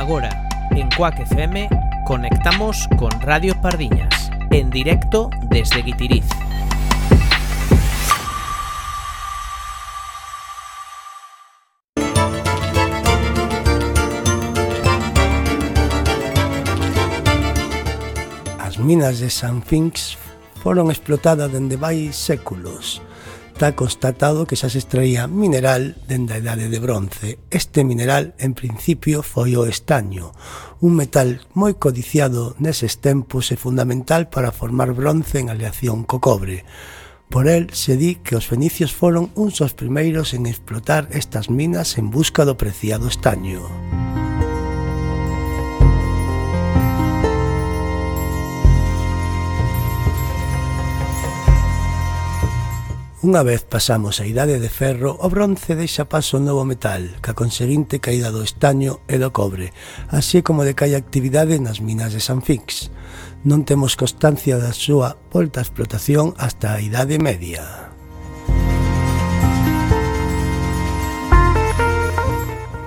Agora, en Cuac FM, conectamos con Radio Pardiñas, en directo desde Guitiriz. As minas de Sanfinx foron explotadas dende vai séculos. Está constatado que xa se extraía mineral dende a idade de bronce. Este mineral, en principio, foi o estaño, un metal moi codiciado neses tempos e fundamental para formar bronce en aleación co cobre. Por el se di que os fenicios foron uns dos primeiros en explotar estas minas en busca do preciado estaño. Unha vez pasamos a idade de ferro, o bronce deixa paso ao novo metal, ca conseguinte caída do estaño e do cobre, así como decai a actividade nas minas de Sanfinx. Non temos constancia da súa volta a explotación hasta a idade media.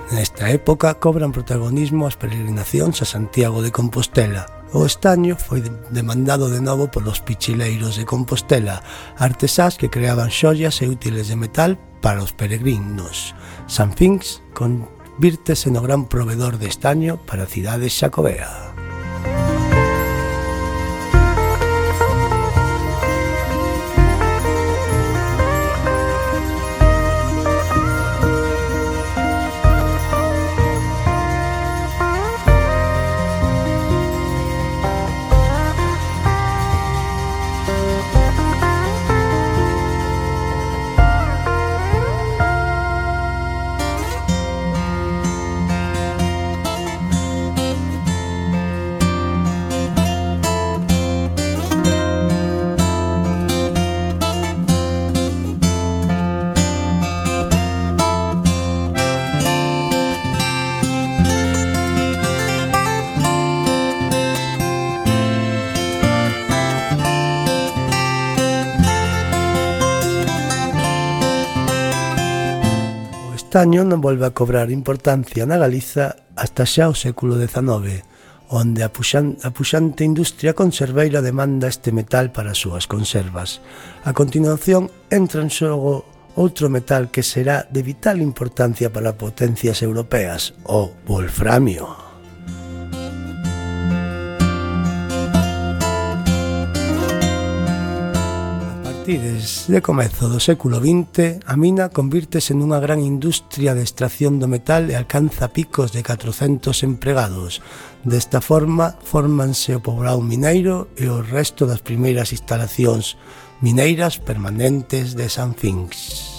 Nesta época cobran protagonismo as peregrinacións a Santiago de Compostela. O estaño foi demandado de novo polos pichileiros de Compostela, artesás que creaban xollas e útiles de metal para os peregrinos. Sanfinx convírtese no gran provedor de estaño para a cidade xacobea. O estaño non volve a cobrar importancia na Galiza hasta xa o século XIX, onde a puxante industria conserveira demanda este metal para as súas conservas. A continuación entra en xogo outro metal que será de vital importancia para potencias europeas, o wolframio. Desde comezo do século XX, a mina convírtese nunha gran industria de extracción do metal e alcanza picos de 400 empregados. Desta forma, fórmanse o poboado mineiro e o resto das primeiras instalacións mineiras permanentes de Sanfinx.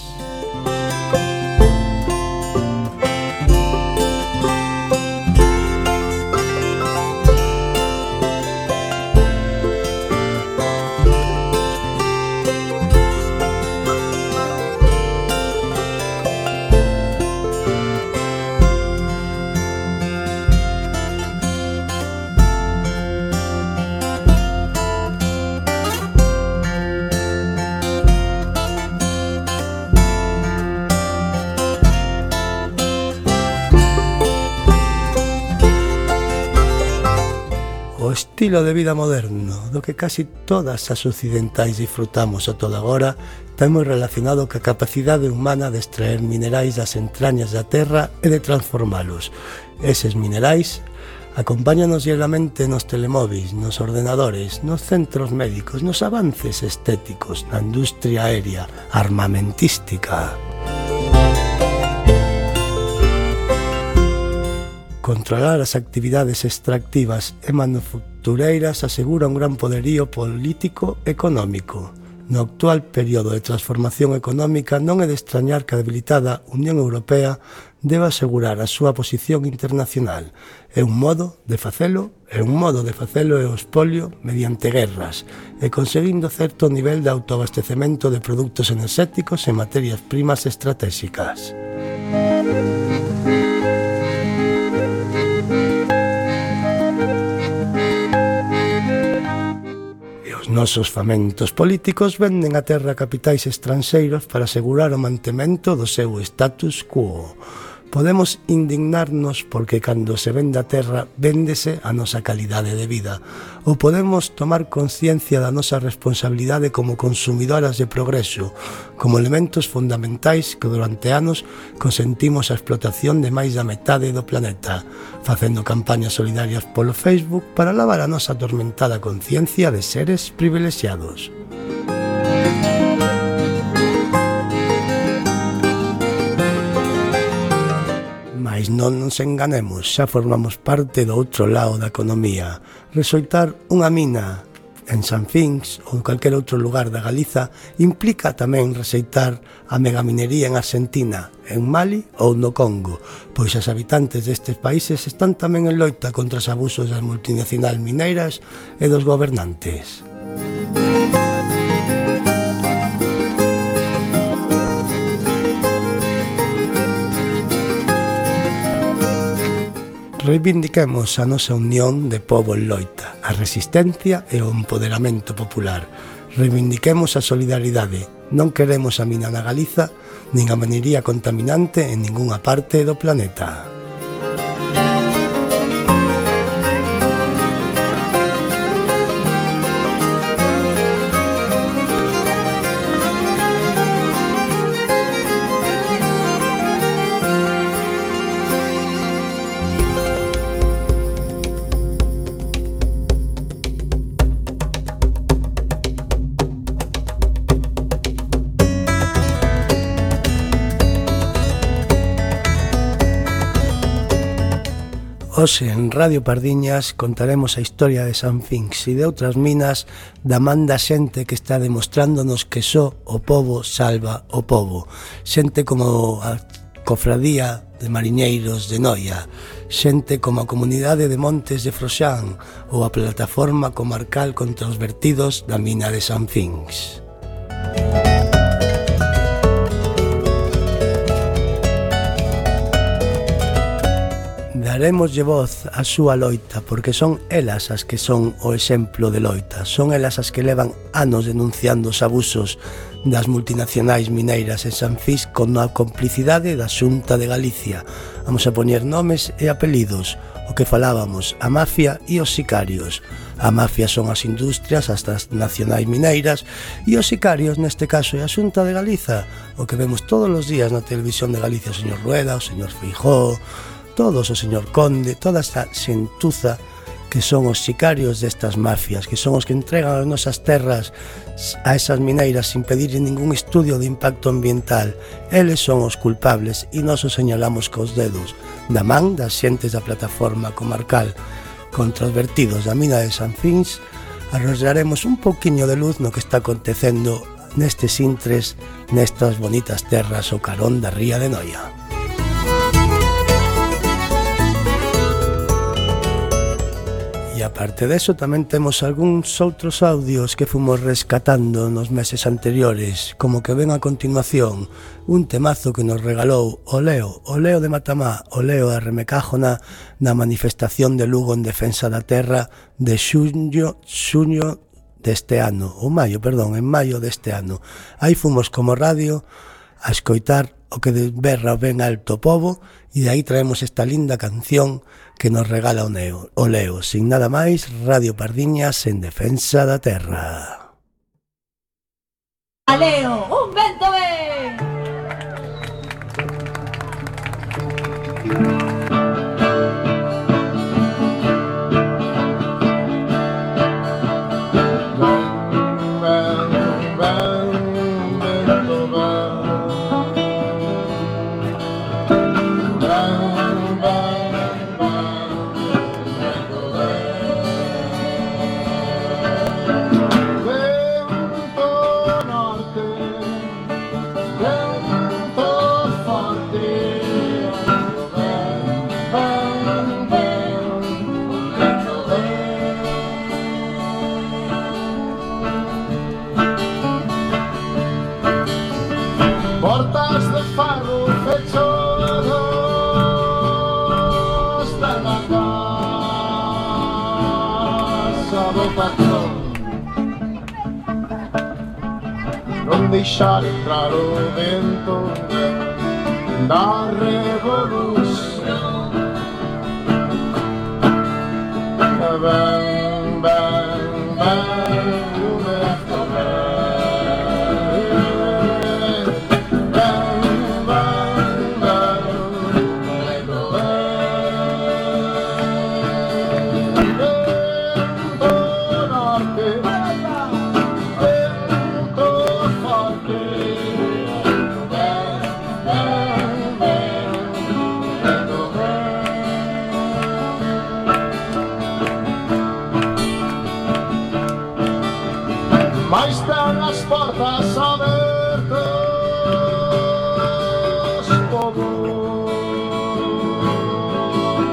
O estilo de vida moderno, do que casi todas as occidentais disfrutamos a toda agora, está moi relacionado ca capacidade humana de extraer minerais das entrañas da terra e de transformalos. Eses minerais acompáñanos diariamente nos telemóviles, nos ordenadores, nos centros médicos, nos avances estéticos, na industria aérea, armamentística. Controlar as actividades extractivas e manufactureiras asegura un gran poderío político e económico. No actual período de transformación económica non é de extrañar que a debilitada Unión Europea deba asegurar a súa posición internacional. É un modo de facelo e o expolio mediante guerras e conseguindo certo nivel de autoabastecemento de produtos enerxéticos e materias primas estratégicas. Nosos famentos políticos venden a terra a capitais estranxeiros para asegurar o mantemento do seu status quo. Podemos indignarnos porque cando se vende a terra véndese a nosa calidade de vida, ou podemos tomar conciencia da nosa responsabilidade como consumidoras de progreso, como elementos fundamentais que durante anos consentimos a explotación de máis da metade do planeta, facendo campañas solidarias polo Facebook para lavar a nosa atormentada conciencia de seres privilexiados. Mais non nos enganemos, xa formamos parte do outro lado da economía. Resoltar unha mina en Sanfinx ou en calquer outro lugar da Galiza implica tamén receitar a megaminería en Argentina, en Mali ou no Congo, pois os habitantes destes países están tamén en loita contra os abusos das multinacionais mineiras e dos gobernantes. Reivindiquemos a nosa unión de pobo en loita, a resistencia e o empoderamento popular. Reivindiquemos a solidaridade. Non queremos a mina na Galiza, nin a minería contaminante en ningunha parte do planeta. Hoxe en Radio Pardiñas contaremos a historia de Sanfinx e de outras minas da man da xente que está demostrándonos que só o pobo salva o pobo. Xente como a Cofradía de Mariñeiros de Noia, xente como a Comunidade de Montes de Froxán ou a Plataforma Comarcal contra os vertidos da mina de Sanfinx. Daremoslle voz á súa loita porque son elas as que son o exemplo de loita, son elas as que levan anos denunciando os abusos das multinacionais mineiras en Sanfinx con a complicidade da Xunta de Galicia. Vamos a poñer nomes e apelidos, o que falábamos, a mafia e os sicarios. A mafia son as industrias, as transnacionais mineiras, e os sicarios, neste caso, é a Xunta de Galiza, o que vemos todos os días na televisión de Galicia, o señor Rueda, o señor Feijóo, todos, o señor Conde, toda esta xentuza que son os sicarios destas mafias, que son os que entregan as nosas terras a esas mineiras sin pedir ningún estudio de impacto ambiental. Eles son os culpables e nós os señalamos cos dedos. Da man das xentes da Plataforma Comarcal contra os vertidos da mina de Sanfinx, arrojaremos un pouquiño de luz no que está acontecendo nestes intres, nestas bonitas terras ao carón da ría de Noia. E aparte deso tamén temos algúns outros audios que fomos rescatando nos meses anteriores, como que ven a continuación un temazo que nos regalou o Leo de Matamá, o Leo de Remecájona na manifestación de Lugo en defensa da terra de xuño deste ano, en maio deste ano. Aí fomos como radio a escoitar o que de berra ben alto pobo e de aí traemos esta linda canción que nos regala o Leo. Sin nada máis, Radio Pardiñas en defensa da terra. A Leo, un vento ben! Portas de farro fechados de la casa do patrón, non deixar entrar o vento da revolución.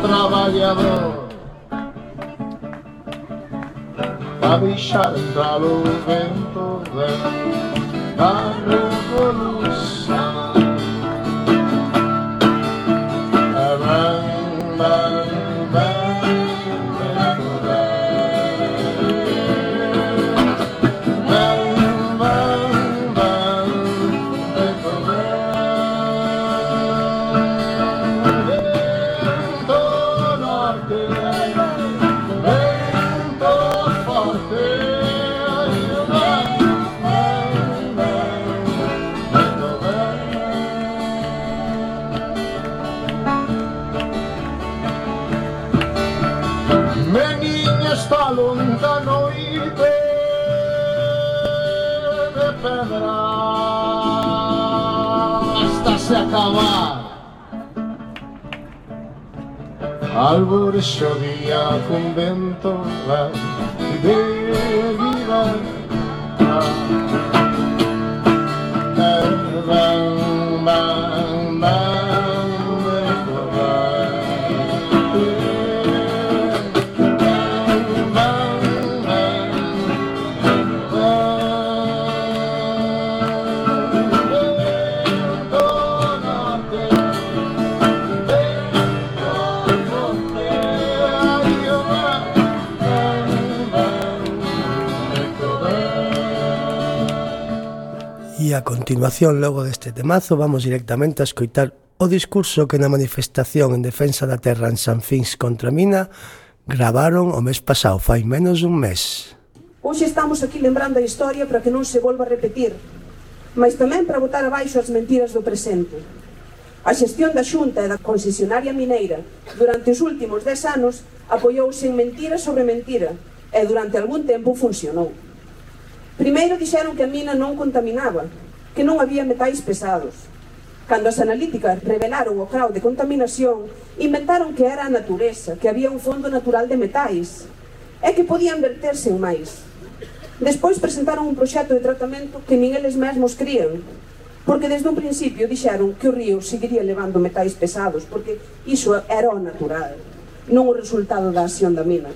traballador a deixar entrar o vento da revolução. Longa noite de pedra hasta se acabar. Alborexo día con vento de vida. E a continuación, logo deste temazo, vamos directamente a escoitar o discurso que na manifestación en defensa da terra en San Fins contra Mina gravaron o mes pasado, fai menos dun mes. Hoxe estamos aquí lembrando a historia para que non se volva a repetir, mas tamén para botar abaixo as mentiras do presente. A xestión da Xunta e da concesionaria mineira durante os últimos 10 anos apoiouse en mentira sobre mentira e durante algún tempo funcionou. Primeiro dixeron que a mina non contaminaba, que non había metais pesados. Cando as analíticas revelaron o grau de contaminación, inventaron que era a natureza, que había un fondo natural de metais e que podían verterse en máis. Despois presentaron un proxecto de tratamento que nin eles mesmos crían, porque desde un principio dixeron que o río seguiría levando metais pesados, porque iso era o natural, non o resultado da acción da mina.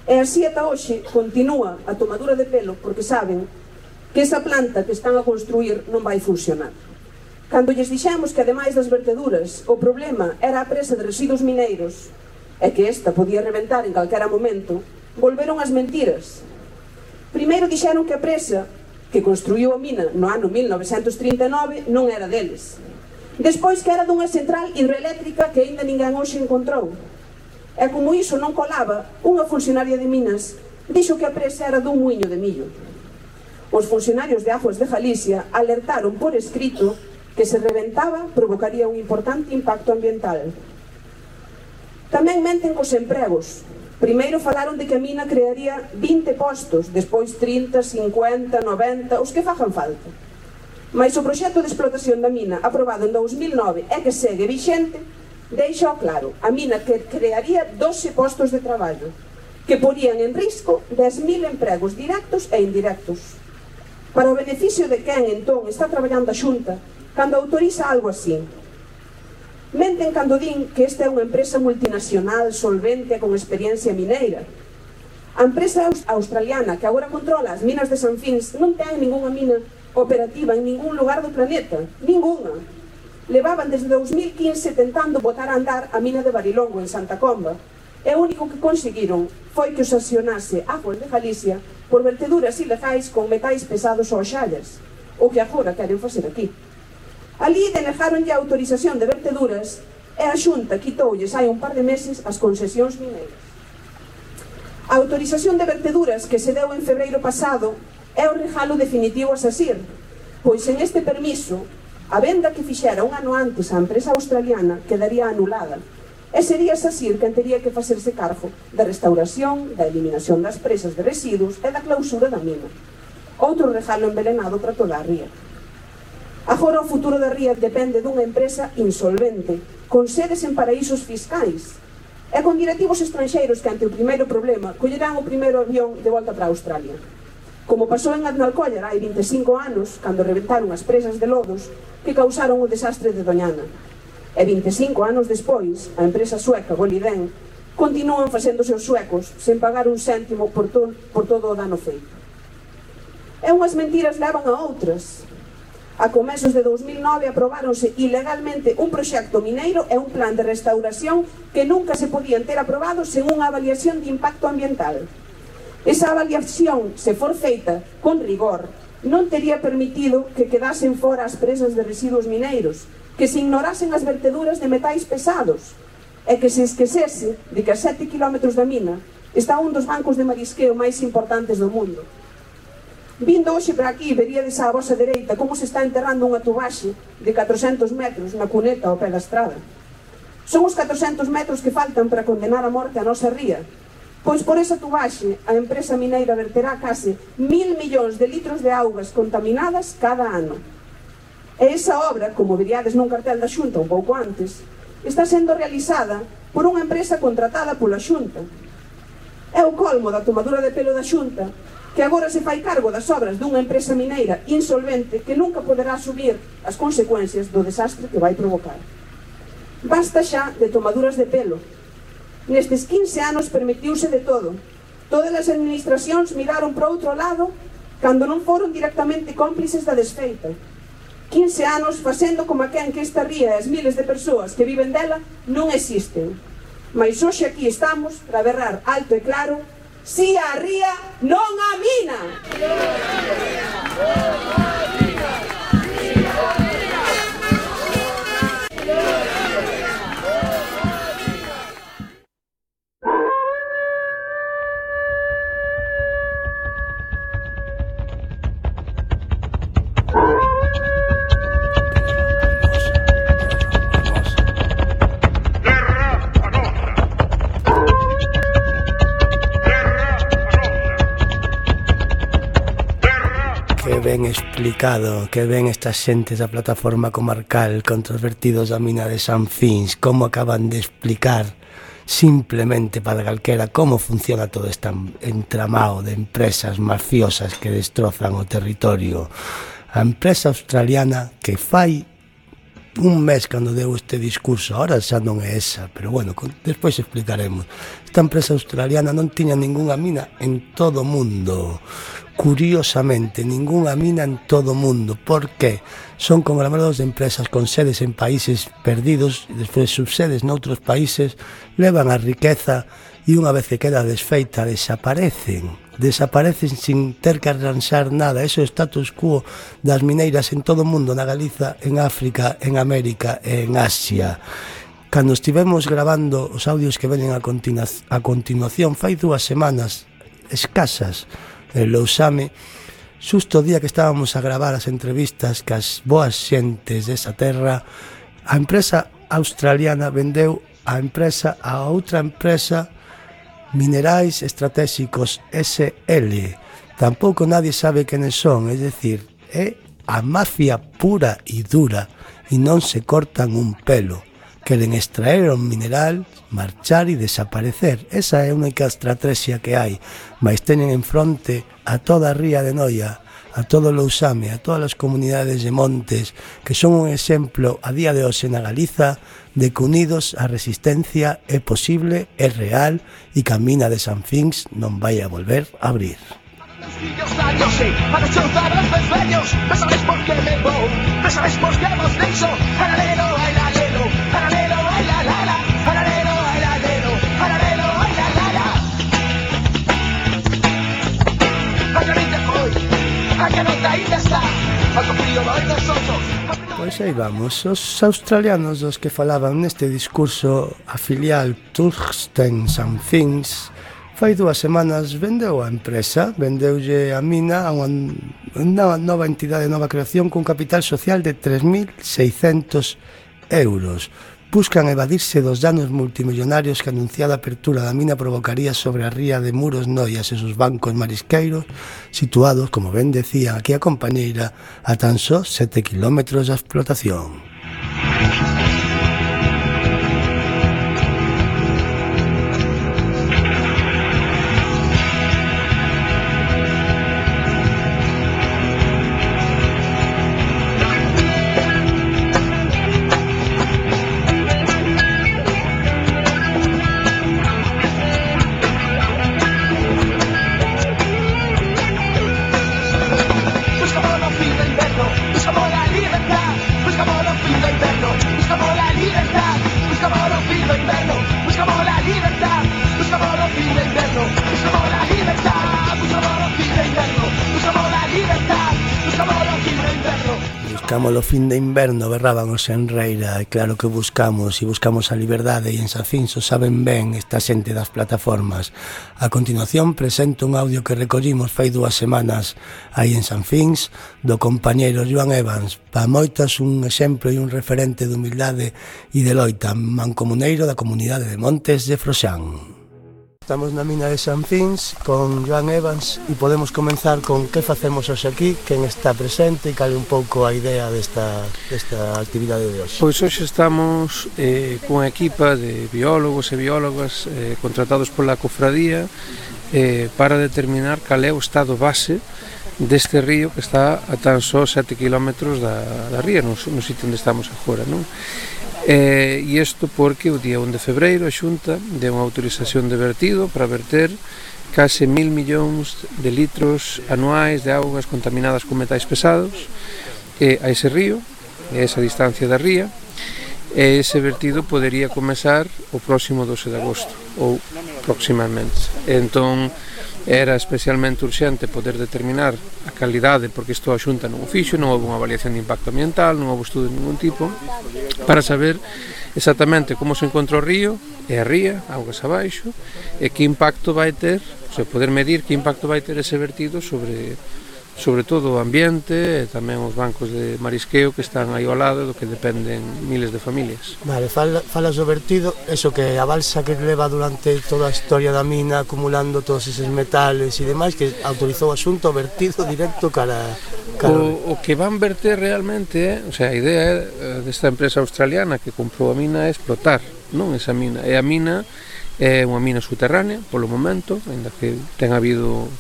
E así ata hoxe continúa a tomadura de pelo porque saben que esa planta que están a construir non vai funcionar. Cando lles dixemos que ademais das verteduras o problema era a presa de residuos mineiros e que esta podía reventar en calquera momento, volveron as mentiras. Primeiro dixeron que a presa que construiu a mina no ano 1939 non era deles. Despois que era dunha central hidroeléctrica que aínda ninguén hoxe encontrou. E como iso non colaba, unha funcionaria de Minas dixo que a presa era dun muiño de millo. Os funcionarios de Aguas de Galicia alertaron por escrito que se reventaba provocaría un importante impacto ambiental. Tamén menten cos empregos. Primeiro falaron de que a mina crearía 20 postos, despois 30, 50, 90, os que fagan falta. Mais o proxecto de explotación da mina, aprobado en 2009 e que segue vixente, deixa claro, a mina que crearía 12 postos de traballo, que porían en risco 10.000 empregos directos e indirectos. Para o beneficio de quen, entón, está traballando a Xunta, cando autoriza algo así. Menten cando din que esta é unha empresa multinacional, solvente e con experiencia mineira. A empresa australiana que agora controla as minas de San Fins non ten ningunha mina operativa en ningún lugar do planeta, ningunha. Levaban desde 2015 tentando botar a andar a mina de Barilongo en Santa Comba e o único que conseguiron foi que os sancionase Aguas de Galicia por verteduras ilegais con metais pesados ou xallas, o que agora queren facer aquí. Ali denegaronlle a autorización de verteduras e a Xunta quitoulles hai un par de meses as concesións mineiras. A autorización de verteduras que se deu en febreiro pasado é o regalo definitivo a SACIR, pois en este permiso a venda que fixera un ano antes a empresa australiana quedaría anulada e sería SACIR quen tería que facerse cargo da restauración, da eliminación das presas de residuos e da clausura da mina. Outro regalo envenenado para toda a ría. Agora o futuro da ría depende dunha empresa insolvente, con sedes en paraísos fiscais e con directivos estranxeiros que ante o primeiro problema collerán o primeiro avión de volta para Australia. Como pasou en Aznalcóllar hai 25 anos, cando reventaron as presas de lodos que causaron o desastre de Doñana. E 25 anos despois, a empresa sueca Boliden continúan facendo os seus suecos sen pagar un céntimo por todo o dano feito. E unhas mentiras levan a outras. A comezos de 2009 aprobáronse ilegalmente un proxecto mineiro e un plan de restauración que nunca se podían ter aprobado sen unha avaliación de impacto ambiental. Esa avaliación, se for feita con rigor, non tería permitido que quedasen fora as presas de residuos mineiros, que se ignorasen as verteduras de metais pesados e que se esquecese de que a 7 km da mina está un dos bancos de marisqueo máis importantes do mundo. Vindo hoxe para aquí, veríades á vosa dereita como se está enterrando unha tubaxe de 400 metros na cuneta ao pé da estrada. Son os 400 metros que faltan para condenar a morte a nosa ría, pois por esa tubaxe a empresa mineira verterá case 1.000 millóns de litros de augas contaminadas cada ano. E esa obra, como veríades nun cartel da Xunta un pouco antes, está sendo realizada por unha empresa contratada pola Xunta. É o colmo da tomadura de pelo da Xunta, que agora se fai cargo das obras dunha empresa mineira insolvente que nunca poderá asumir as consecuencias do desastre que vai provocar. Basta xa de tomaduras de pelo. Nestes 15 anos permitiuse de todo. Todas as administracións miraron para outro lado cando non foron directamente cómplices da desfeita. 15 anos facendo como quen que esta ría e as miles de persoas que viven dela non existen. Mais hoxe aquí estamos para berrar alto e claro: si a ría, non a mina! Ben explicado, que ven estas xentes da plataforma comarcal contra os vertidos da mina de San Fins, como acaban de explicar simplemente para calquera como funciona todo este entramado de empresas mafiosas que destrozan o territorio. A empresa australiana que fai un mes cando deu este discurso, ahora xa non é esa, pero bueno, despois explicaremos. Esta empresa australiana non tiña ningunha mina en todo o mundo. Curiosamente, ningunha mina en todo o mundo. Por qué? Son conglomerados de empresas con sedes en países perdidos e despois subsedes noutros países, levan a riqueza e unha vez que queda desfeita desaparecen sin ter que arranxar nada. Ese é o status quo das mineiras en todo o mundo, na Galiza, en África, en América e en Asia. Cando estivemos grabando os audios que venen a continuación, fai 2 semanas escasas, en Lousame, xusto o día que estábamos a gravar as entrevistas cas boas xentes desa terra, a empresa australiana vendeu a empresa a outra empresa, Minerais Estratégicos SL. Tampouco nadie sabe quenes son, é dicir, é a mafia pura e dura e non se cortan un pelo. Queren extraer un mineral, marchar e desaparecer. Esa é a única estrategia que hai, mas teñen en fronte a toda a ría de Noia, a todo Lousame, a todas as comunidades de montes, que son un exemplo a día de hoxe na Galiza de que unidos a resistencia é posible, é real e que a mina de San Fins non vai a volver a abrir. Para chozar os desveños, non sabes por que me vou, non sabes por que vos deixo, paralelo, paralelo, paralelo, paralelo, paralelo, paralelo, paralelo. Paralelo foi, a que non ainda está, a confío vai dos outros. Pois aí vamos, os australianos dos que falaban neste discurso, a filial Tungsten San Fins, fai 2 semanas vendeu a empresa, vendeulle a mina a unha nova entidade, nova creación cun capital social de 3.600 euros. Buscan evadirse dos danos multimillonarios que a anunciada apertura da mina provocaría sobre a ría de Muros Noias e sus bancos marisqueiros, situados, como ben decía aquí a compañeira, a tan só 7 kilómetros da explotación. Chamalo fin de inverno, berraban os Enreira, e claro que buscamos a liberdade, e en Sanfins o saben ben esta xente das plataformas. A continuación presento un audio que recollimos fai 2 semanas aí en Sanfins, do compañeiro Joan Evans, para moitas un exemplo e un referente de humildade e de loita, mancomuneiro da comunidade de Montes de Froxán. Estamos na mina de Sanfins con Joan Evans e podemos comenzar con que facemos hoxe aquí, quen está presente e cal un pouco a idea desta actividade de hoxe. Pois hoxe estamos cunha equipa de biólogos e biólogas contratados pola cofradía para determinar cal é o estado base deste río que está a tan só 7 km da ría, no sitio onde estamos agora, non? E isto porque o día 1 de febreiro a Xunta deu unha autorización de vertido para verter case 1.000 millóns de litros anuais de augas contaminadas con metais pesados a ese río, a esa distancia da ría, e ese vertido podería comezar o próximo 12 de agosto ou próximamente. Entón era especialmente urxente poder determinar a calidade, porque isto a Xunta non o fixo, non houve unha avaliación de impacto ambiental, non houve estudo de ningún tipo, para saber exactamente como se encontra o río e a ría, augas abaixo, e que impacto vai ter, o sea, poder medir que impacto vai ter ese vertido sobre todo o ambiente e tamén os bancos de marisqueo que están aí ao lado do que dependen miles de familias. Vale, falas do vertido, eso que a balsa que leva durante toda a historia da mina acumulando todos eses metales e demais, que autorizou a Xunta o vertido directo cara... O que van verter realmente o sea, a idea desta empresa australiana que comprou a mina é explotar, non esa mina, e a mina é unha mina subterránea polo momento, ainda que ten habido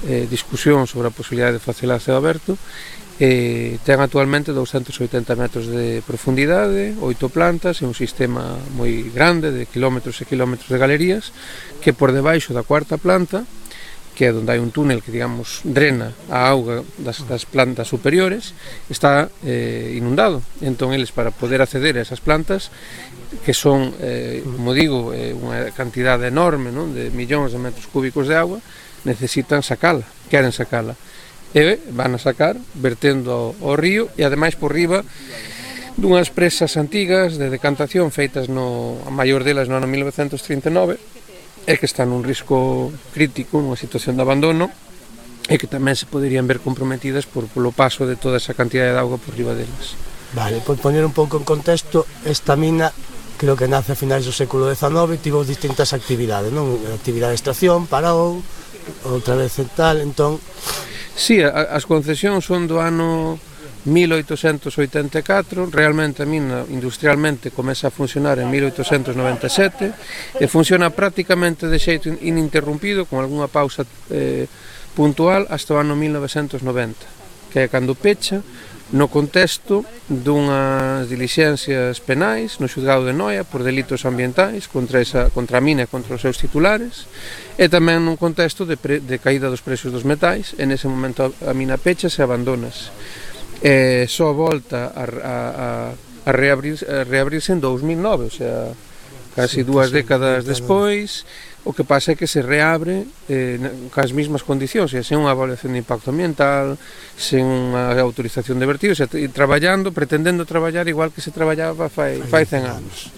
discusión sobre a posibilidade de facela a ceo aberto, ten actualmente 280 metros de profundidade, 8 plantas e un sistema moi grande de kilómetros e kilómetros de galerías que por debaixo da 4ª planta, que é onde hai un túnel que, digamos, drena a auga das plantas superiores, está inundado. Entón, eles, para poder acceder a esas plantas, que son, como digo, unha cantidade enorme, non, de millóns de metros cúbicos de agua, necesitan sacala, queren sacala, e van a sacar vertendo ao río e ademais por riba dunhas presas antigas de decantación feitas a maior delas no ano 1939 e que están nun risco crítico, nunha situación de abandono e que tamén se poderían ver comprometidas polo paso de toda esa cantidade de auga por riba delas. Vale, por poner un pouco en contexto, esta mina creo que nace a finais do século XIX, tivo distintas actividades, non? Actividade de extracción, parou, outra vez en tal, entón... Sí, as concesións son do ano 1884, realmente a mina industrialmente comeza a funcionar en 1897 e funciona prácticamente de xeito ininterrumpido, con algunha pausa puntual, hasta o ano 1990, que é cando pecha, no contexto dunhas dilixencias penais no xulgado de Noia por delitos ambientais contra a mina e contra os seus titulares, e tamén nun contexto de caída dos precios dos metais. En ese momento a mina pecha e abandonas, só volta a reabrirse en 2009, o sea, casi 2 décadas despois. O que pasa é que se reabre cas mesmas condicións, sen unha evaluación de impacto ambiental, sen unha autorización de vertido, pretendendo traballar igual que se traballaba fai 100 anos.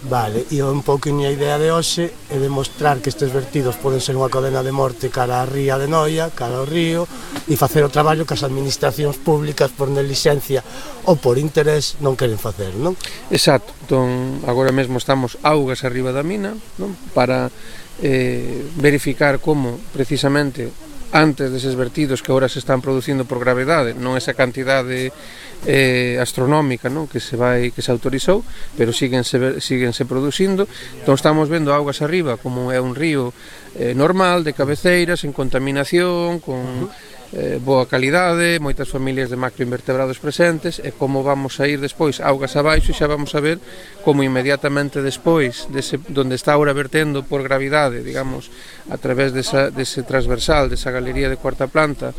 Vale, e un pouquinho a idea de hoxe é demostrar que estes vertidos poden ser unha cadena de morte cara a ría de Noia, cara ao río, e facer o traballo que as administracións públicas por negligencia ou por interés non queren facer, non? Exacto, entón agora mesmo estamos augas arriba da mina, non? Para verificar como precisamente antes deses vertidos que agora se están producindo por gravedade, non esa cantidade astronómica, non, que se autorizou, pero síguense producindo. Entón estamos vendo augas arriba como é un río normal, de cabeceiras, en contaminación, con boa calidade, moitas familias de macroinvertebrados presentes, e como vamos a ir despois augas abaixo, xa vamos a ver como inmediatamente despois donde está ahora vertendo por gravidade, digamos, a través dese transversal, desa galería de 4ª planta,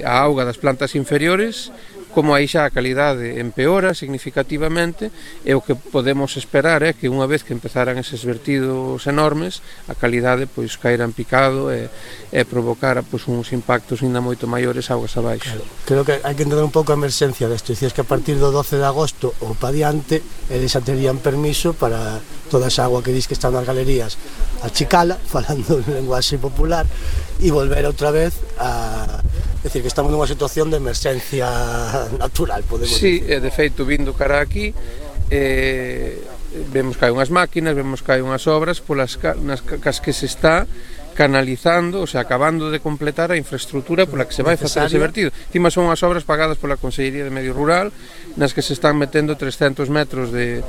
a auga das plantas inferiores como aí xa a calidade empeora significativamente, e o que podemos esperar é que unha vez que empezaran eses vertidos enormes, a calidade pois caera en picado e provocara pois uns impactos ainda moito maiores augas abaixo. Creo que hai que entender un pouco a emerxencia desto. Dicías que a partir do 12 de agosto ou pa diante eles xa terían permiso para toda esa agua que dis que está nas galerías achicala, falando en lenguaxe popular, e volver outra vez a... decir, que estamos nunha situación de emerxencia natural, podemos sí, decir. de feito, vindo cara aquí, vemos que hai unhas máquinas, vemos que hai unhas obras polas cas que se está canalizando, o sea, acabando de completar a infraestructura pola que se vai facer ese vertido. Encima son as obras pagadas pola Consellería de Medio Rural, nas que se están metendo 300 metros de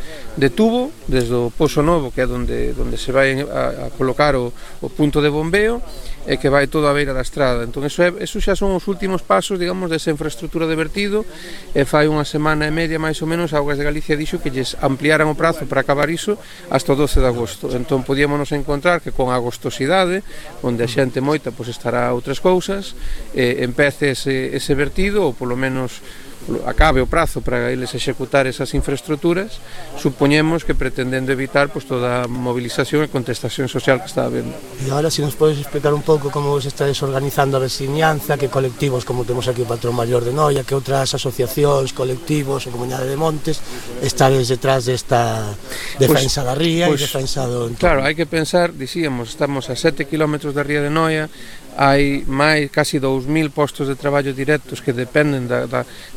tubo desde o Pozo Novo, que é onde se vai a colocar o punto de bombeo, e que vai todo a beira da estrada. Entón, eso xa son os últimos pasos, digamos, desa infraestructura de vertido, e fai unha semana e media, máis ou menos, Augas de Galicia dixo que lles ampliaran o prazo para acabar iso hasta o 12 de agosto. Entón, podíamonos encontrar que con agostosidade, onde a xente moita pois estará a outras cousas, empece ese vertido, ou polo menos acabe o prazo para eles executar esas infraestructuras, supoñemos que pretendendo evitar pois toda a movilización e contestación social que está habendo. E agora, se nos podes explicar un pouco como vos estáis organizando a veciñanza, que colectivos, como temos aquí o Patrón Maior de Noia, que outras asociacións, colectivos ou Comunidade de Montes estades detrás desta defensa da ría e defensa do entorno. Claro, hai que pensar, dicíamos, estamos a 7 km da ría de Noia, hai máis casi 2.000 postos de traballo directos que dependen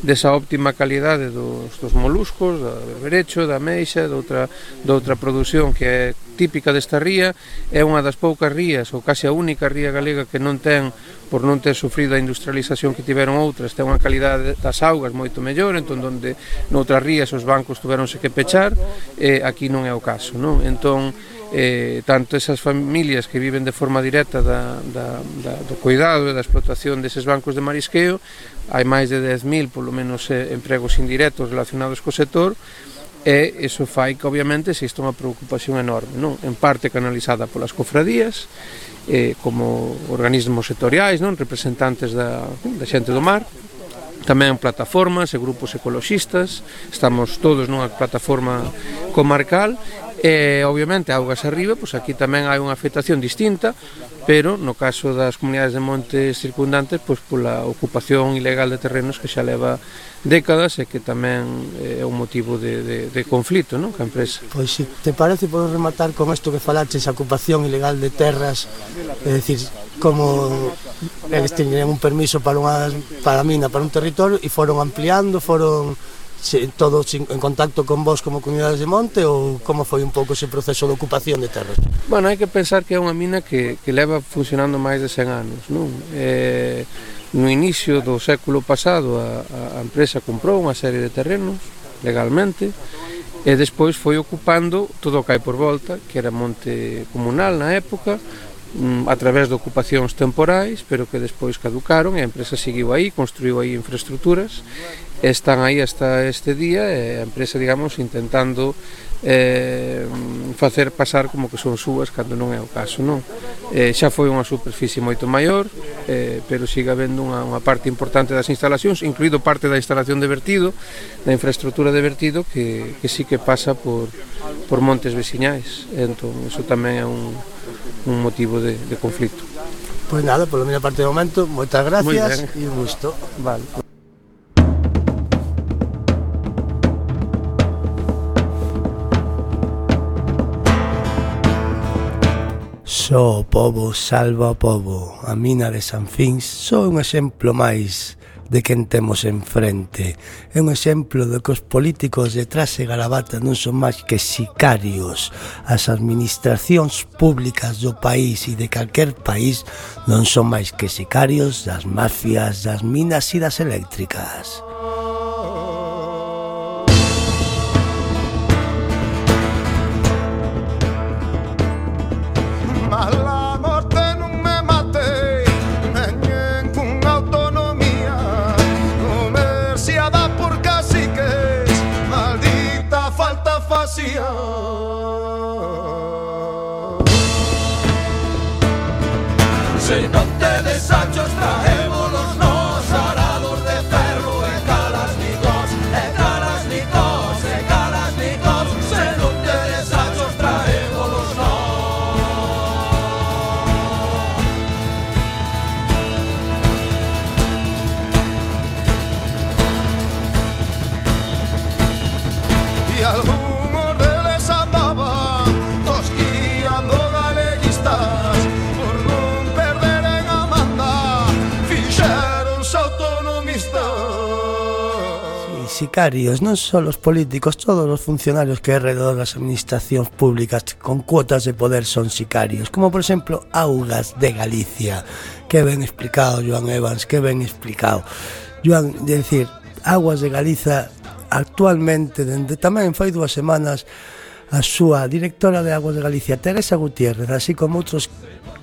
desa óptima calidade dos moluscos, do berberecho, da meixa, de outra produción que é típica desta ría. É unha das poucas rías, ou case a única ría galega que non ten, por non ter sufrido a industrialización que tiveron outras, ten unha calidade das augas moito mellor, entón onde noutras rías os bancos tuveronse que pechar, aquí non é o caso, non? Entón, tanto esas familias que viven de forma directa do cuidado e da explotación deses bancos de marisqueo, hai máis de 10.000 polo menos empregos indirectos relacionados co sector, e iso fai que obviamente existe unha preocupación enorme, non? En parte canalizada polas cofradías, como organismos sectoriais, non? Representantes da xente do mar, tamén plataformas e grupos ecoloxistas, estamos todos nunha plataforma comarcal, e obviamente augas arriba, pois aquí tamén hai unha afectación distinta, pero no caso das comunidades de montes circundantes, pois pola ocupación ilegal de terrenos que xa leva décadas e que tamén é un motivo de conflito, non? Que a empresa. Pois se te parece, podo rematar con isto que falaches, a ocupación ilegal de terras, é dicir, como eles teñen un permiso para a mina, para un territorio, e foron ampliando, foron todos en contacto con vos como comunidades de monte, ou como foi un pouco ese proceso de ocupación de terras? Bueno, hai que pensar que é unha mina que leva funcionando máis de 100 anos, non? No inicio do século pasado a empresa comprou unha serie de terrenos legalmente, e despois foi ocupando todo o que hai por volta, que era monte comunal na época, a través de ocupacións temporais, pero que despois caducaron, e a empresa seguiu aí, construiu aí infraestructuras, e están aí hasta este día, e a empresa, digamos, intentando facer pasar como que son súas cando non é o caso, non? Xa foi unha superficie moito maior, pero sigue habendo unha parte importante das instalacións, incluído parte da instalación de vertido, da infraestructura de vertido, que sí que pasa por montes veciñais. Entón, iso tamén é un motivo de conflito. Pois nada, polo minha parte de momento, moitas gracias e un gusto. Vale. Só o pobo salva o pobo. A mina de San Fins só un exemplo máis de quen temos enfrente. É un exemplo de que os políticos de traxe gravata non son máis que sicarios. As administracións públicas do país e de calquer país non son máis que sicarios das mafias, das minas e das eléctricas. Se non te desachos traémolos nos arados de ferro e sicarios, non só os políticos, todos os funcionarios que alrededor das administracións públicas con cuotas de poder son sicarios, como por exemplo Augas de Galicia. Que ben explicado, Joan Evans, que ben explicado. Joan, de decir, Aguas de Galiza actualmente, dende tamén fai 2 semanas, a súa directora de Aguas de Galicia, Teresa Gutiérrez, así como outros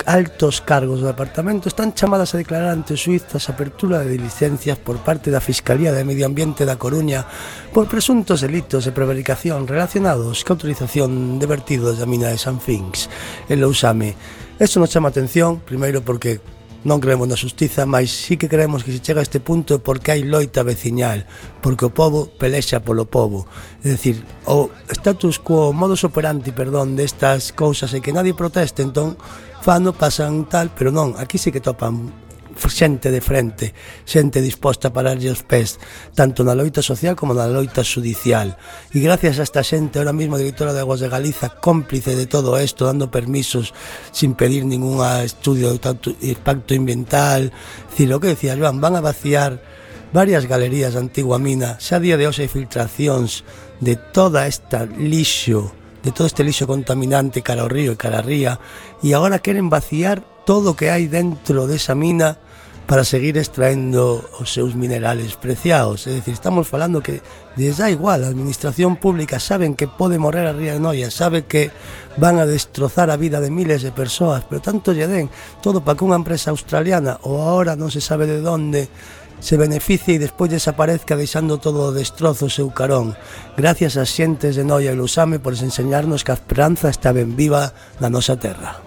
altos cargos do departamento, están chamadas a declarar ante suizas a apertura de licencias por parte da Fiscalía de Medio Ambiente da Coruña por presuntos delitos de prevaricación relacionados ca autorización de vertidos da mina de San Fins en Lousame. Isto nos chama a atención, primeiro porque non creemos na xustiza, mas sí que creemos que se chega a este punto porque hai loita veciñal, porque o povo pelexa polo povo. É dicir, o status quo, o modus operandi, destas cousas é que nadie proteste, entón fano, pasan tal, pero non, aquí sí que topan xente de frente, xente disposta a pararlle os pés, tanto na loita social como na loita judicial. E gracias a esta xente, ahora mesmo a directora de Aguas de Galiza, cómplice de todo isto, dando permisos sin pedir ningún estudio de impacto ambiental. Dicir, o que decía Joan, van a vaciar varias galerías da antigua mina, xa a día de hoxe hai filtracións de toda esta lixo, de todo este lixo contaminante cara ao río e cara a ría, e agora queren vaciar todo o que hai dentro desa mina para seguir extraendo os seus minerales preciados. É dicir, estamos falando que les dá igual, a administración pública saben que pode morrer a ría de Noia, sabe que van a destrozar a vida de miles de persoas, pero tanto lle den todo para que unha empresa australiana ou agora non se sabe de onde se beneficie e despois desaparezca deixando todo o destrozo o seu carón. Gracias ás xentes de Noia e Lousame por enseñarnos que a esperanza está ben viva na nosa terra.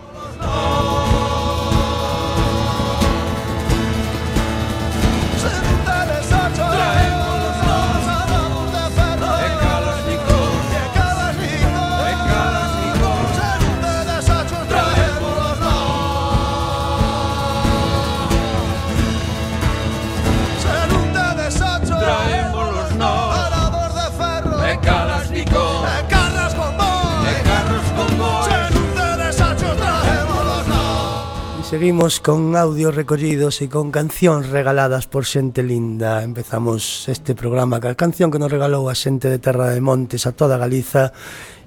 Seguimos con audios recollidos e con cancións regaladas por xente linda. Empezamos este programa ca canción que nos regalou a xente de Terra de Montes a toda Galiza,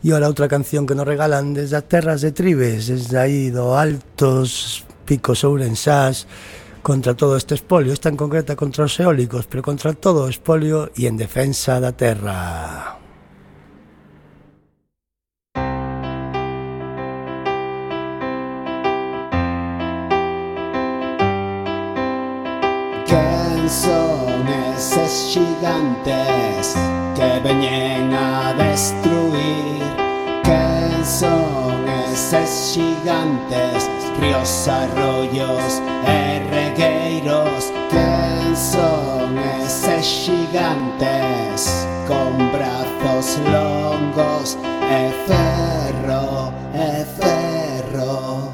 e ora outra canción que nos regalan desde as terras de Tribes, desde aí do Altos Picos Ourensás, contra todo este espolio, esta en concreta contra os eólicos, pero contra todo o espolio e en defensa da terra. Son eses xigantes que veñen a destruir. Quen son eses xigantes, ríos, arroyos e regueiros? Quen son eses xigantes con brazos longos e ferro, ferro?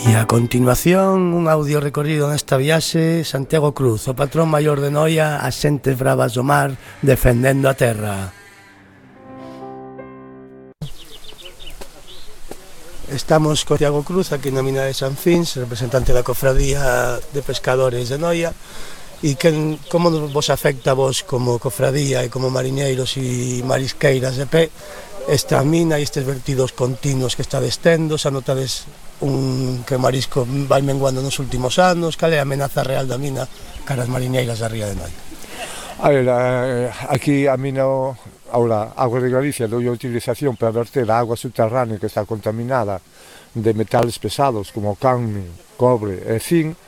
E a continuación, un audio recorrido nesta viaxe, Santiago Cruz, o patrón maior de Noia, as xentes bravas do mar, defendendo a terra. Estamos con Santiago Cruz, aquí na mina de San Fins, representante da cofradía de pescadores de Noia. E como vos afecta a vos como cofradía e como mariñeiros e marisqueiras de pé esta mina e estes vertidos continuos que está destendo? Xa notades que o marisco vai menguando nos últimos anos? Cal é a amenaza real da mina cara as mariñeiras da ría de Noia? A ver, aquí a mina, ahora, Agua de Galicia dou a utilización para verter a agua subterránea que está contaminada de metales pesados como cadmio, cobre e zinc.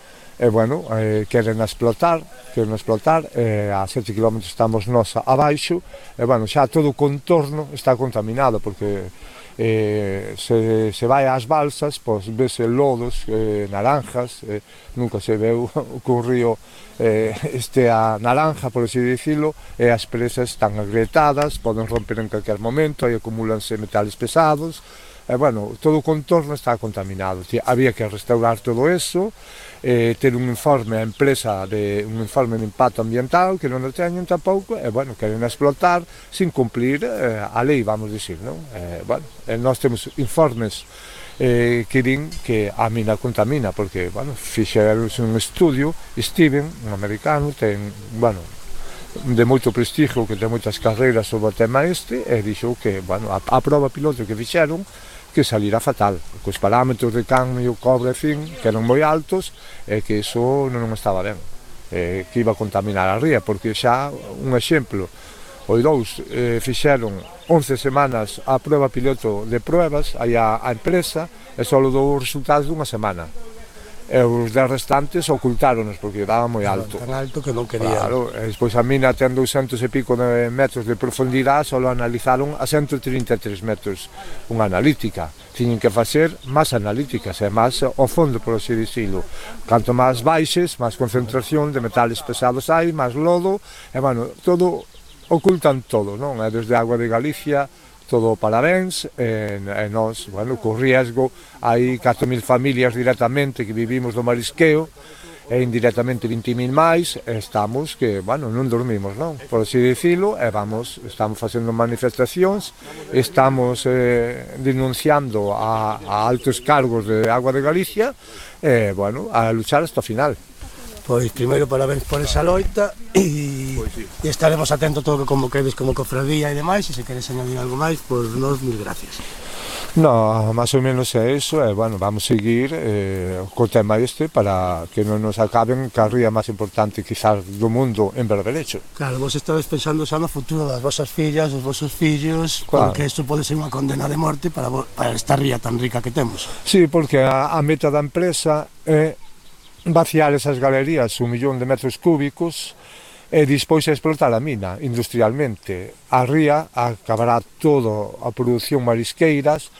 E, bueno, queren explotar, a 7 km estamos nós abaixo, e, bueno, xa todo o contorno está contaminado, porque se vai ás balsas, pois vese lodos, naranjas, nunca se veu cun río a naranja, por así dicilo, e as presas están agrietadas, poden romper en calquer momento, e acumúlanse metales pesados, e, bueno, todo o contorno está contaminado. Había que restaurar todo eso, ter un informe a empresa un informe de impacto ambiental que non o teñen tampouco, e, bueno, queren explotar sin cumplir a lei, vamos dicir, non? Bueno, nós temos informes que din que a mina contamina, porque, bueno, fixeron un estudio, Steven, un americano, ten, bueno, de moito prestigio, que ten moitas carreiras sobre o tema e dixo que, bueno, a prova piloto que fixeron que salirá fatal, cos parámetros de cadmio, cobre, zinc, que eran moi altos, e que iso non estaba ben, que iba a contaminar a ría, porque xa, un exemplo, os dous fixeron 11 semanas a prova piloto de pruebas, aí a empresa, e só dou os resultados dunha semana. E os 10 restantes ocultáronos porque daba moi alto. Tan alto que non quería. Claro, e despois a mina ten 200 e pico de metros de profundidade, só analizaron a 133 metros unha analítica. Tiñen que facer máis analíticas e máis ao fondo, por así dicilo. Canto máis baixes, máis concentración de metales pesados hai, máis lodo, e, bueno, todo, ocultan todo, non? E desde Agua de Galicia, todo parabéns, e nós, bueno, co riesgo, hai 4.000 familias directamente que vivimos do marisqueo, e indirectamente 20.000 máis, e estamos que, bueno, non dormimos, non? Por así dicilo, e estamos facendo manifestacións, estamos denunciando a altos cargos de Agua de Galicia, e, bueno, a luchar hasta o final. Pois primeiro parabéns por esa loita e estaremos atentos a todo como quedes como cofradía e demais, e se queres añadir algo máis, pois nos mil gracias. No, máis ou menos é iso, e, bueno, vamos seguir co tema para que non nos acaben a ría máis importante quizás do mundo en berberecho. Claro, vos estades pensando xa no futuro das vosas fillas, dos vosos fillos, claro, porque isto pode ser unha condena de morte para esta ría tan rica que temos. Sí, porque a meta da empresa é vaciar esas galerías 1 millón de metros cúbicos e despois a explotar a mina industrialmente. A ría acabará toda a produción marisqueiras,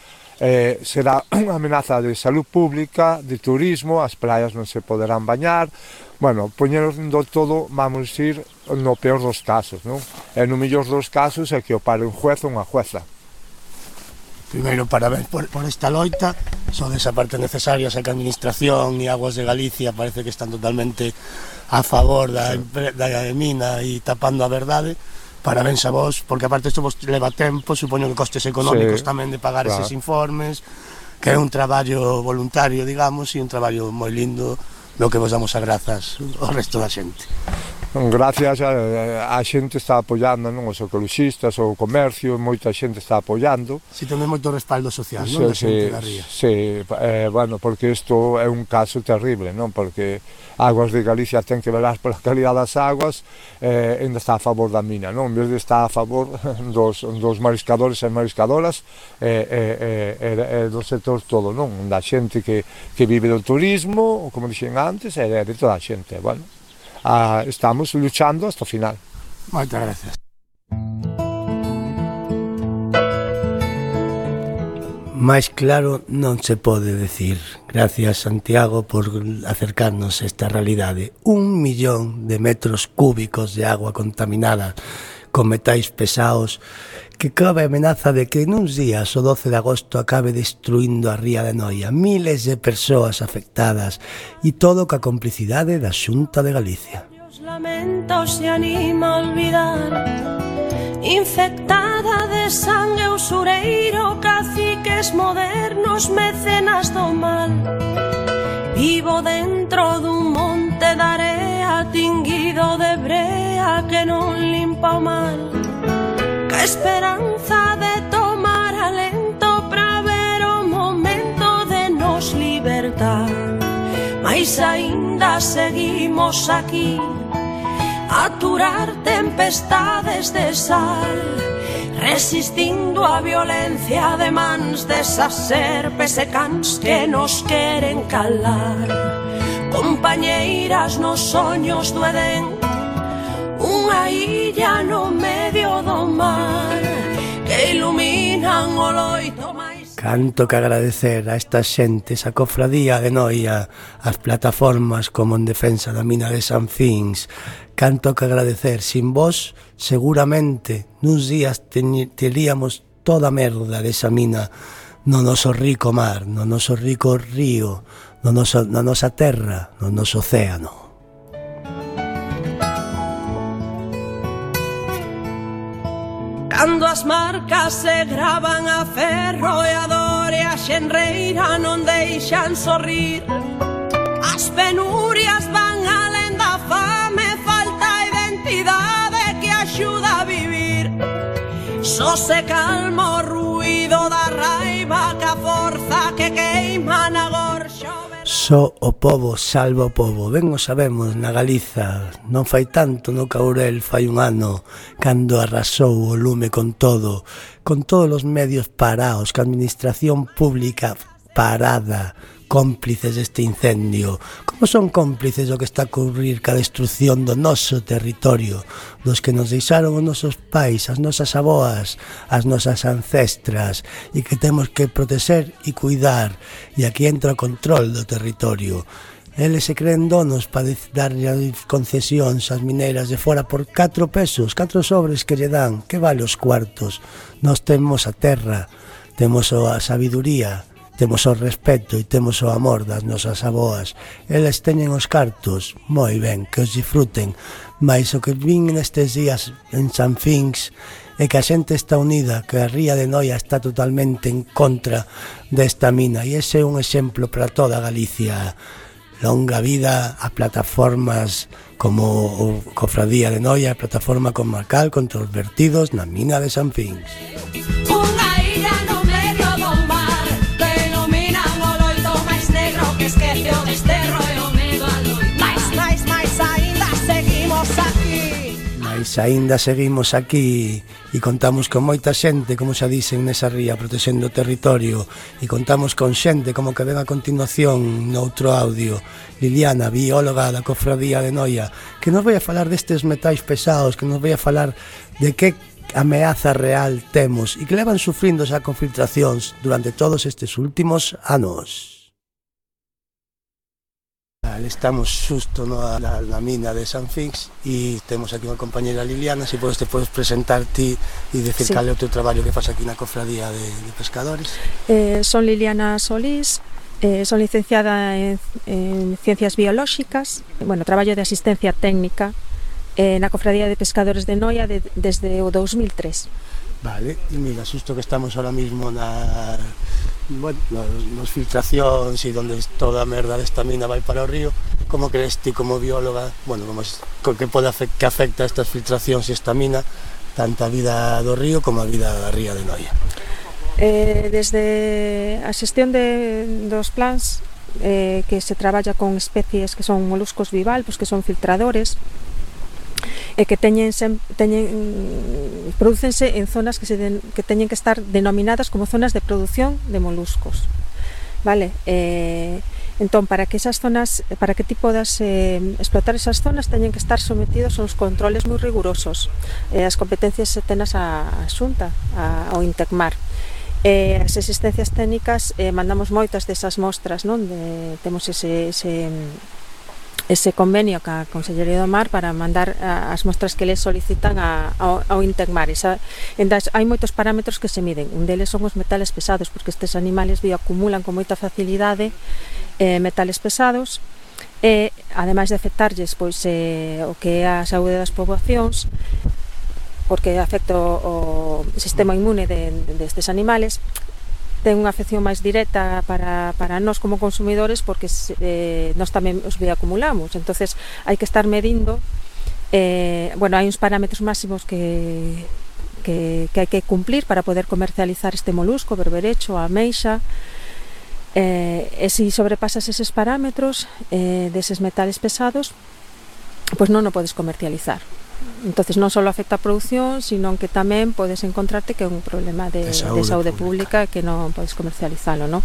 será unha amenaza de salud pública, de turismo, as praias non se poderán bañar, bueno, poñendo todo, vamos ir, no peor dos casos, non? E no mellor dos casos é que o pare un juez ou unha jueza. Primeiro, parabéns por esta loita, son esa parte necesaria, xa que a Administración e Aguas de Galicia parece que están totalmente a favor da mina e tapando a verdade. Parabéns a vos, porque aparte isto vos leva tempo, supoño que costes económicos tamén de pagar eses informes, que é un traballo voluntario, digamos, e un traballo moi lindo, no que vos damos as grazas ao resto da xente. Gracias a xente está apoiando, non? Os ecologistas, o comercio, moita xente está apoiando. Si temos moito respaldo social, non? Da xente da ría. Sí, bueno, porque isto é un caso terrible, non? Porque Aguas de Galicia ten que velar pola calidad das aguas, ainda está a favor da mina, non? En vez de estar a favor dos mariscadores e mariscadoras e do sector todo, non? Da xente que vive do turismo, como dixen antes, e de toda a xente, bueno. Estamos luchando hasta o final. Moitas gracias. Máis claro non se pode decir. Gracias, Santiago, por acercarnos a esta realidade. 1 millón de metros cúbicos de agua contaminada con metais pesados, que cabe a amenaza de que nuns días o 12 de agosto acabe destruindo a ría de Noia, miles de persoas afectadas e todo ca complicidade da Xunta de Galicia. Os lamentos se anima a olvidar, infectada de sangue usureiro, caciques modernos, mecenas do mal. Vivo dentro dun monte de area tinguido de brea que non limpa o mal. Que esperanza de tomar alento pra ver o momento de nos libertar. Mais aínda seguimos aquí a aturar tempestades de sal, resistindo a violencia de mans desas serpes e cans que nos queren calar. Compañeiras nos soños do Edén, unha illa no medio do mar, que iluminan o loito máis. Canto que agradecer a estas xentes, a cofradía de Noia, as plataformas como en defensa da mina de San Fins. Canto que agradecer, sin vos seguramente nuns días teríamos toda a merda desa mina no noso rico mar, no noso rico río, na nosa terra, no noso océano. Cando as marcas se gravan a ferro e a dor e a xenreira non deixan sorrir, as penurias van alén da fame, falta identidade que axuda a vivir. Só se calma o ruído da raiva que a forza que queima na gorxa. Só o pobo salva o pobo, ben o sabemos na Galiza, non fai tanto no Caurel, fai un ano, cando arrasou o lume con todos os medios parados, que a administración pública parada, cómplices deste incendio. Como son cómplices do que está a ocurrir ca destrucción do noso territorio, dos que nos deixaron os nosos pais, as nosas aboas, as nosas ancestras, e que temos que protexer e cuidar, e aquí entra o control do territorio. Eles se creen donos para darlle concesións ás mineiras de fora por 4 pesos, 4 sobres que lle dan, que vale os cuartos. Nós temos a terra, temos a sabiduría, temos o respeto e temos o amor das nosas aboas. Eles teñen os cartos, moi ben, que os disfruten, mas o que vin nestes días en San Fins é que a xente está unida, que a ría de Noia está totalmente en contra desta mina, e ese é un exemplo para toda Galicia. Longa vida a plataformas como o Cofradía de Noia, a plataforma comarcal contra os vertidos na mina de San Fins. Unha illa no medio do mar, que ilumina o loito máis negro, que esquece o desterro e o medo a loito. Mais aínda seguimos aquí. Mais aínda seguimos aquí e contamos con moita xente, como xa dicen nesa ría, protexendo o territorio, e contamos con xente como que ven a continuación noutro audio, Liliana, bióloga da Cofradía de Noia, que nos vai a falar destes metais pesados, que nos vai a falar de que ameaza real temos e que levan sufrindo xa con filtracións durante todos estes últimos anos. Estamos xusto na mina de San Fins e temos aquí unha compañera Liliana. Se te podes presentar ti e decir cal é o teu traballo que faz aquí na Cofradía de Pescadores. Son Liliana Solís, son licenciada en Ciencias Biolóxicas, traballo de asistencia técnica na Cofradía de Pescadores de Noia desde o 2003. Vale, e mira, xusto que estamos ahora mismo nos filtracións e onde toda a merda desta mina vai para o río. Como crees ti como bióloga, que afecta estas filtracións e esta mina tanto a vida do río como a vida da ría de Noia? Desde a xestión dos plans que se traballa con especies que son moluscos bivalvos, que son filtradores, e que prodúcense en zonas que teñen que estar denominadas como zonas de produción de moluscos, vale? Entón, para que ti podas explotar esas zonas teñen que estar sometidos a uns controles moi rigurosos. As competencias tenas a Xunta, ao Intecmar. As existencias técnicas mandamos moitas desas mostras, non? Temos ese convenio ca Consellería do Mar para mandar as mostras que les solicitan ao Intecmar. Entón, hai moitos parámetros que se miden. Un deles son os metales pesados, porque estes animales bioacumulan con moita facilidade metales pesados, e ademais de afectarlles pois o que é a saúde das poboacións, porque afecta o sistema inmune destes animales, ten unha afección máis directa para nós como consumidores, porque nós tamén os bioacumulamos. Entonces hai que estar medindo, hai uns parámetros máximos que hai que cumplir para poder comercializar este molusco, berberecho, ameixa, e se sobrepasas eses parámetros deses metales pesados, pois non o podes comercializar. Entonces non só afecta a produción, sino que tamén podes encontrarte que é un problema de saúde pública que non podes comercializalo, non?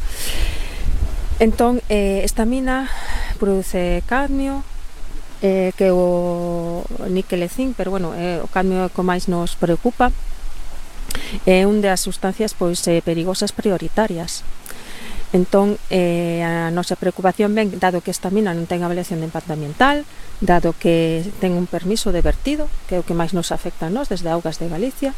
Entón, esta mina produce cadmio, que é o níquel e zinc, pero o cadmio é o que máis nos preocupa. É unha das sustancias perigosas prioritarias. Entón, a nosa preocupación ven, dado que esta mina non ten avaliación de impacto ambiental, dado que ten un permiso de vertido, que é o que máis nos afecta a nós desde Augas de Galicia,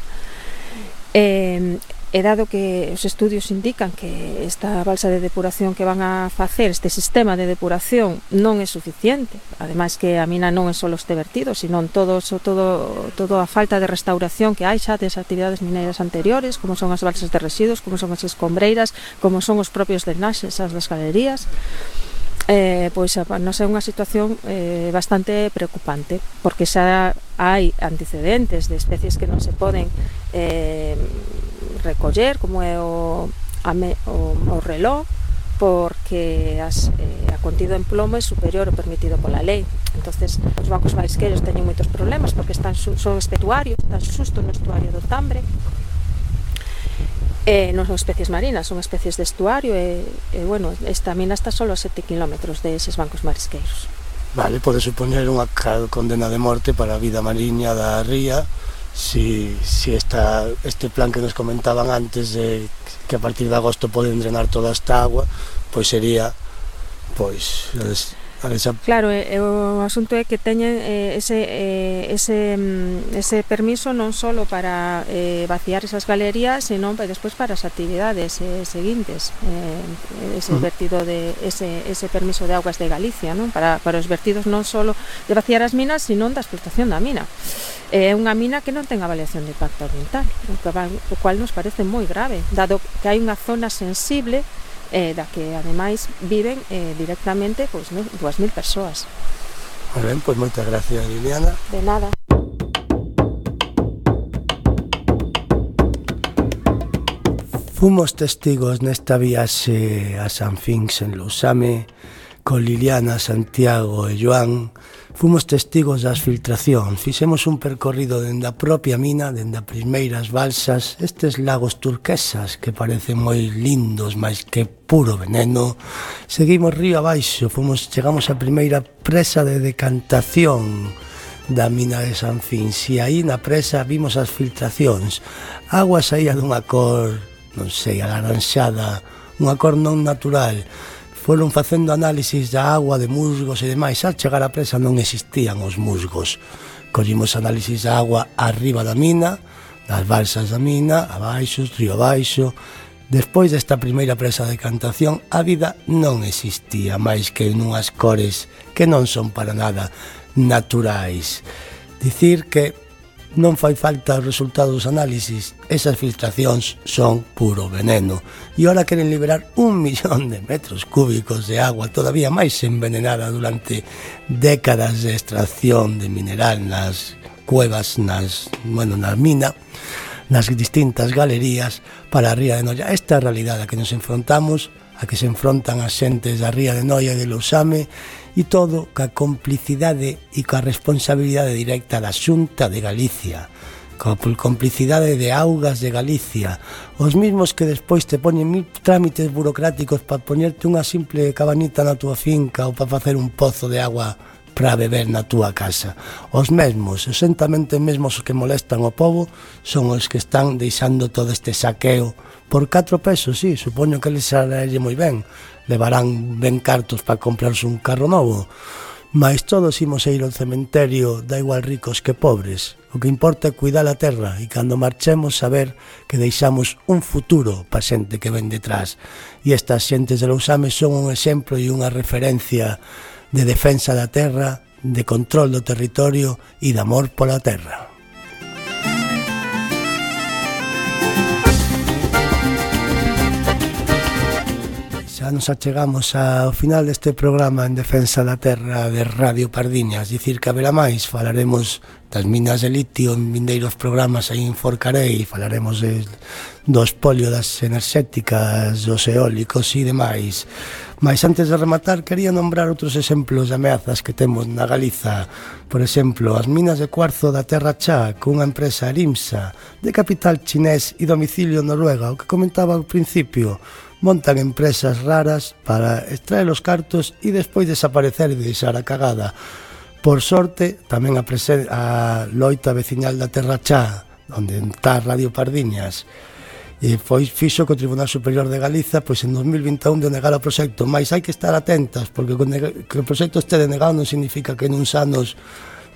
e dado que os estudios indican que esta balsa de depuración que van a facer, este sistema de depuración, non é suficiente, ademais que a mina non é só este vertido, sino toda a falta de restauración que hai xa das actividades mineiras anteriores, como son as balsas de residuos, como son as escombreiras, como son os propios drenaxes, as das galerías. Pois nos é unha situación bastante preocupante, porque xa hai antecedentes de especies que non se poden recoller, como é o reló, porque a contido en plomo é superior ao permitido pola lei. Entonces, os bancos marisqueiros teñen moitos problemas porque son estuarios, están xusto no estuario do Tambre. Non son especies marinas, son especies de estuario e esta mina está solo a 7 kilómetros deses bancos marisqueiros. Vale, pode supoñer unha condena de morte para a vida mariña da ría si este plan que nos comentaban antes de que a partir de agosto poden drenar toda esta agua, pois sería Claro, o asunto é que teñen ese permiso non só para vaciar esas galerías, senón despois para as actividades seguintes, ese vertido ese permiso de Augas de Galicia, non? Para os vertidos non só de vaciar as minas, senón da explotación da mina. É unha mina que non ten avaliación de impacto ambiental, o cual nos parece moi grave, dado que hai unha zona sensible da que ademais viven directamente 2.000 persoas. Moi ben, pois moitas gracias, Liliana. De nada. Fomos testigos nesta viaxe a San Fins en Lousame con Liliana, Santiago e Joan. Fomos testigos das filtracións, fixemos un percorrido dende a propia mina, dende as primeiras balsas, estes lagos turquesas que parecen moi lindos, máis que puro veneno. Seguimos río abaixo, chegamos á primeira presa de decantación da mina de San Fins, e aí na presa vimos as filtracións. A agua saía dunha cor, non sei, alaranxada, unha cor non natural. Foron facendo análisis da agua, de musgos e demais. Al chegar á presa non existían os musgos. Collimos análisis da agua arriba da mina, das balsas da mina, abaixo, río abaixo. Despois desta primeira presa de decantación, a vida non existía máis que nunhas cores que non son para nada naturais. Dicir que non fai falta os resultados dos análisis, esas filtracións son puro veneno, e ora queren liberar 1 millón de metros cúbicos de agua todavía máis envenenada durante décadas de extracción de mineral nas cuevas, na mina, nas distintas galerías para a ría de Noia. Esta é a realidade a que nos enfrontamos, a que se enfrontan as xentes da ría de Noia e de Lousame, e todo ca complicidade e ca responsabilidade directa da Xunta de Galicia, ca complicidade de Augas de Galicia, os mesmos que despois te poñen 1000 trámites burocráticos para poñerte unha simple cabanita na túa finca ou para facer un pozo de agua para beber na túa casa. Os mesmos, exentamente mesmos que molestan ao povo, son os que están deixando todo este saqueo por 4 pesos, sí, supoño que les sale moi ben, levarán ben cartos para comprarse un carro novo, Mais todos imos a ir ao cementerio, da igual ricos que pobres. O que importa é cuidar a terra e cando marchemos saber que deixamos un futuro pa xente que ven detrás. E estas xentes de Lousame son un exemplo e unha referencia de defensa da terra, de control do territorio e de amor pola terra. Xa nos achegamos ao final deste programa en defensa da terra de Radio Pardiñas. Dicir que haberá máis, falaremos das minas de litio en vindeiros programas aí en Forcarei, falaremos do espolio das enerxéticas, dos eólicos e demais. Mas antes de rematar, quería nombrar outros exemplos de ameazas que temos na Galiza. Por exemplo, as minas de cuarzo da Terra Chá, cunha empresa Arimsa, de capital chinés e domicilio Noruega, o que comentaba ao principio. Montan empresas raras para extraer os cartos e despois desaparecer e deixar a cagada. Por sorte, tamén a loita veciñal da Terra Chá, onde está Radio Pardiñas, e fixo que o Tribunal Superior de Galiza pois en 2021 denegara o proxecto, mas hai que estar atentas, porque que o proxecto este denegado non significa que nuns anos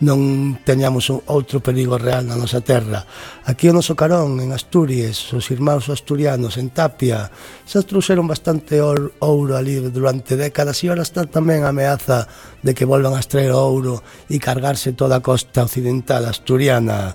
non teñamos outro perigo real na nosa terra. Aquí o noso carón, en Asturias, os irmáns asturianos, en Tapia, xa trouxeron bastante ouro ali durante décadas e ahora está tamén a ameaza de que volvan a extraer ouro e cargarse toda a costa occidental asturiana.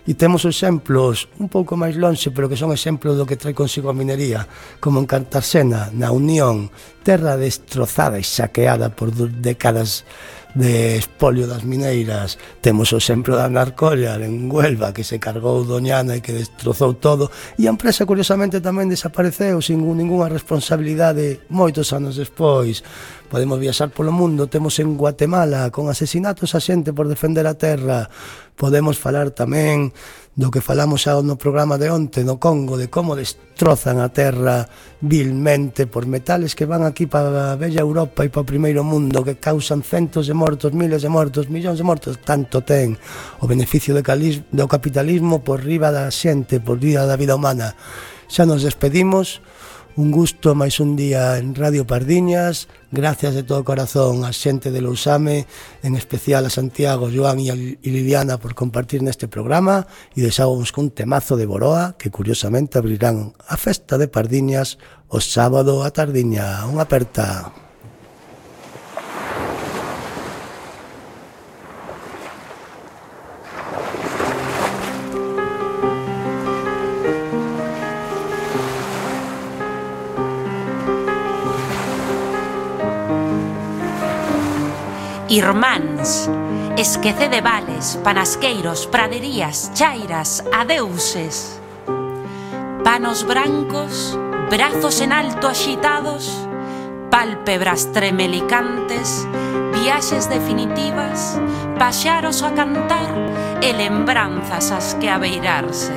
E temos exemplos un pouco máis lonxe, pero que son exemplos do que trae consigo a minería, como en Cartagena, na Unión, terra destrozada e saqueada por décadas de espolio das mineiras. Temos o exemplo da Narcollar en Huelva, que se cargou Doñana e que destrozou todo, e a empresa curiosamente tamén desapareceu sin ningunha responsabilidade moitos anos despois. Podemos viaxar polo mundo, temos en Guatemala con asesinatos a xente por defender a terra. Podemos falar tamén do que falamos xa no programa de onte no Congo, de como destrozan a terra vilmente por metales que van aquí para a bella Europa e para o primeiro mundo, que causan centos de mortos, miles de mortos, millóns de mortos. Tanto ten o beneficio do capitalismo por riba da xente, por riba da vida humana. Xa nos despedimos. Un gusto máis un día en Radio Pardiñas. Gracias de todo corazón a xente de Lousame, en especial a Santiago, Joan e Liliana por compartir neste programa, e deixábamos con un temazo de Boroa que curiosamente abrirán a festa de Pardiñas o sábado a tardiña. Unha aperta. Irmáns, esquece de vales, panasqueiros, praderías, chairas, adeuses. Panos brancos, brazos en alto axitados, pálpebras tremelicantes, viaxes definitivas, paxaros a cantar e lembranzas as que abeirarse.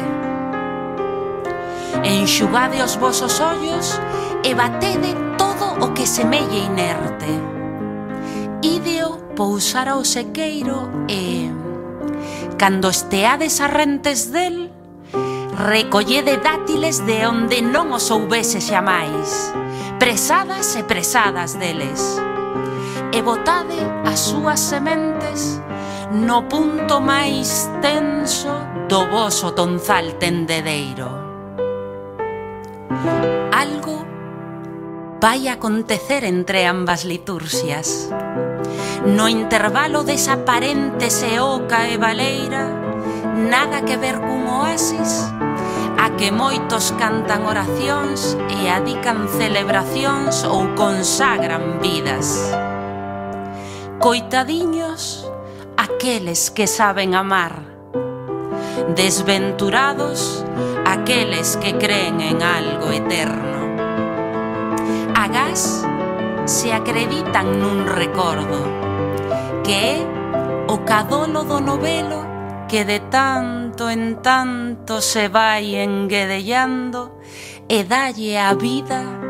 Enxugade os vosos ollos e batede todo o que semelle inerte. Ideo pousar ao sequeiro e, cando esteades arrentes del, recollede dátiles de onde non os houvese xamais, presadas e presadas deles, e botade as súas sementes no punto máis tenso do voso tonzal tendedeiro. Algo vai acontecer entre ambas liturxias. No intervalo desa aparente seoca e baleira, nada que ver cun oasis, a que moitos cantan oracións e adican celebracións ou consagran vidas. Coitadiños aqueles que saben amar, desventurados aqueles que creen en algo eterno. Agás se acreditan nun recordo, que é o cadolo do novelo que de tanto en tanto se vai enguedellando e dalle a vida